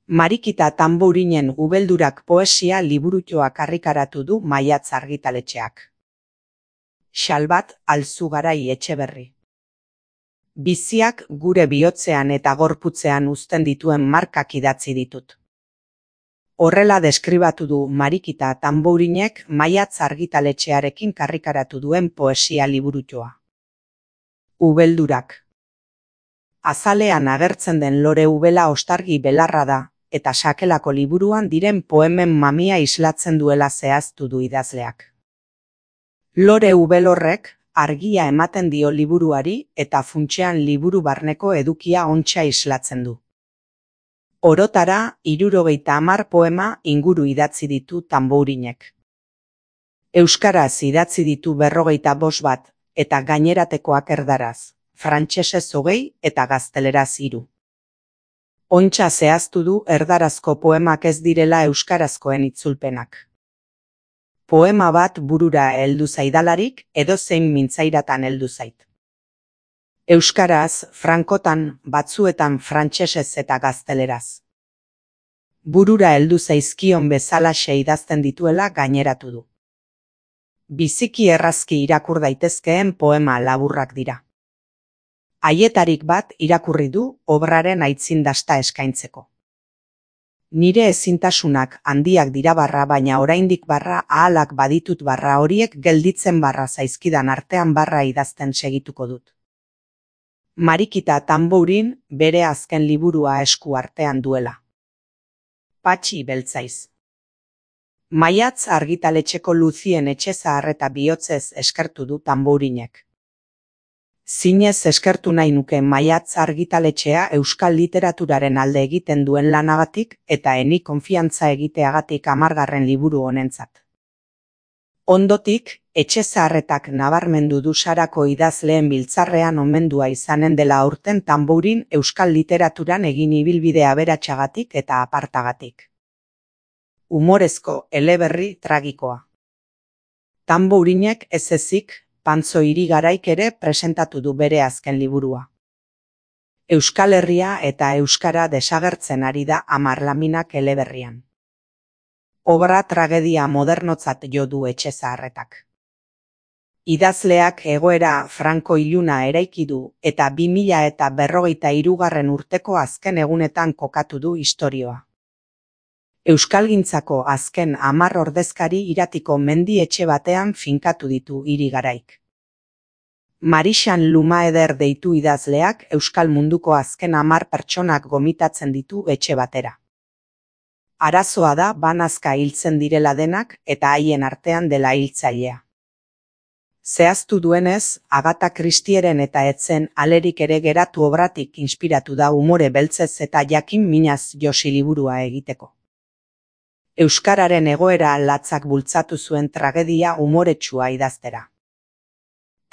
Marikita Tanbourinen Ubeldurak poesia liburutoak argitaratu du Maiatz argitaletxeak. Xalbat Alzugarai Etxeberri. Biziak gure bihotzean eta gorputzean uzten dituen markak idatzi ditut. Horrela deskribatu du Marikita Tanbourinek Maiatz argitaletxearekin karrikaratu duen poesia liburutoa. Ubeldurak. Azalean agertzen den lore ubela ostargi belarra da, eta sakelako liburuan diren poemen mamia islatzen duela zehaztu du idazleak. Lore ubel horrek argia ematen dio liburuari eta funtsean liburu barneko edukia ontsa islatzen du. Orotara 70 poema inguru idatzi ditu Tanbourinek. Euskaraz idatzi ditu 45 bat eta gaineratekoak erdaraz, frantsesez 20 eta gazteleraz 3. Ontsa zehaztu du erdarazko poemak ez direla euskarazkoen itzulpenak. Poema bat burura heldu zaidalarik edozein mintzairatan heldu zait. Euskaraz, frankotan, batzuetan frantsesez eta gazteleraz. Burura heldu zaizkion bezalaxe idazten dituela gaineratu du. Biziki errazki irakur daitezkeen poema laburrak dira. Haietarik bat irakurri du obraren aitzindasta eskaintzeko. Nire ezintasunak handiak dira barra, baina oraindik barra ahalak baditut barra horiek gelditzen barra zaizkidan artean barra idazten segituko dut. Marikita Tanbourin bere azken liburua esku artean duela. Patxi Beltzaiz. Maiatz argitaletxeko Luzien Etxezahar eta bihotzez eskertu du Tanbourinek. Zinez eskertu nahi nuke Maiatz argitaletxea euskal literaturaren alde egiten duen lanagatik eta eni konfiantza egiteagatik 10. liburu honentzat. Ondotik, Etxezaharretak nabarmendu du Sarako idazleen biltzarrean omendua izanen dela aurten Tanbourin euskal literaturan egin ibilbide aberatsagatik eta apartagatik. Umorezko eleberri tragikoa. Tanbourinek ez ezik, Pantzo Irigaraik ere presentatu du bere azken liburua. Euskal Herria eta euskara desagertzen ari da 10 laminak eleberrian. Obra tragedia modernotzat jo du Etxezaharretak. Idazleak egoera franko iluna eraiki du eta 2053 urteko azken egunetan kokatu du istorioa. Euskalgintzako azken 10 ordezkari iratiko mendi etxe batean finkatu ditu Irigaraik. Marixan Lumaeder deitu idazleak euskal munduko azken 10 pertsonak gomitatzen ditu etxe batera. Arazoa da banazka hiltzen direla denak eta haien artean dela hiltzailea. Zehaztu duenez, Agatha Christieren eta etzen alerik ere geratu obratik inspiratu da umore beltzez eta jakin minaz josi liburua egiteko. Euskararen egoera latzak bultzatu zuen tragedia umoretsua idaztera.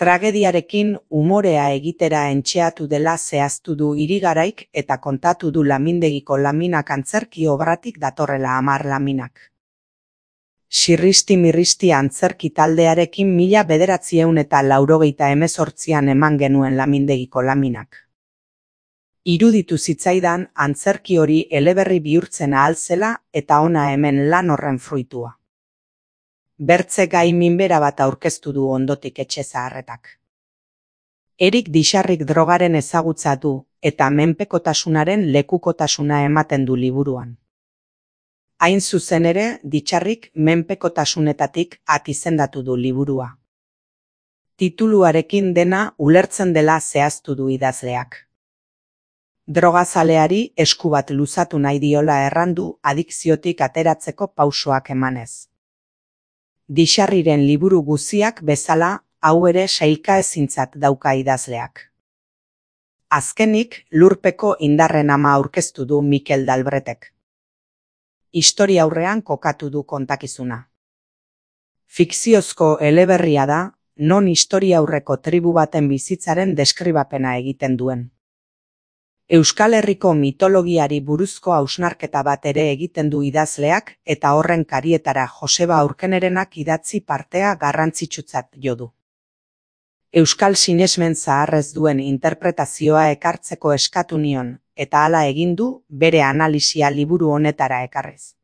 Tragediarekin umorea egitera entxeatu dela zehaztu du Irigaraik eta kontatu du Lamindegiko laminak antzerki obratik datorrela 10 laminak. Sirristi-mirristi antzerki taldearekin 1988an eman genuen Lamindegiko laminak. Iruditu zitzaidan antzerki hori eleberri bihurtzen ahal zela eta ona hemen lan horren fruitua. Bertze gai minbera bat aurkeztu du ondotik Etxezaharretak. Erik Dixarrik drogaren ezagutza du eta menpekotasunaren lekukotasuna ematen du liburuan. Hain zuzen ere, Dixarrik menpekotasunetatik izendatu du liburua. Tituluarekin dena ulertzen dela zehaztu du idazleak. Drogazaleari esku bat luzatu nahi diola errandu adikziotik ateratzeko pausoak emanez. Dixarriren liburu guziak bezala, hau ere sailka ezintzat dauka idazleak. Azkenik, Lurpeko indarren ama aurkeztu du Mikel Dalbretek. Historia aurrean kokatu du kontakizuna. Fikziozko eleberria da, non historia aurreko tribu baten bizitzaren deskribapena egiten duen. Euskal Herriko mitologiari buruzko hausnarketa bat ere egiten du idazleak eta horren karietara Joseba Aurkenerenak idatzi partea garrantzitsutzat jo du. Euskal sinesmen zaharrez duen interpretazioa ekartzeko eskatu nion, eta hala egin du bere analisia liburu honetara ekarriz.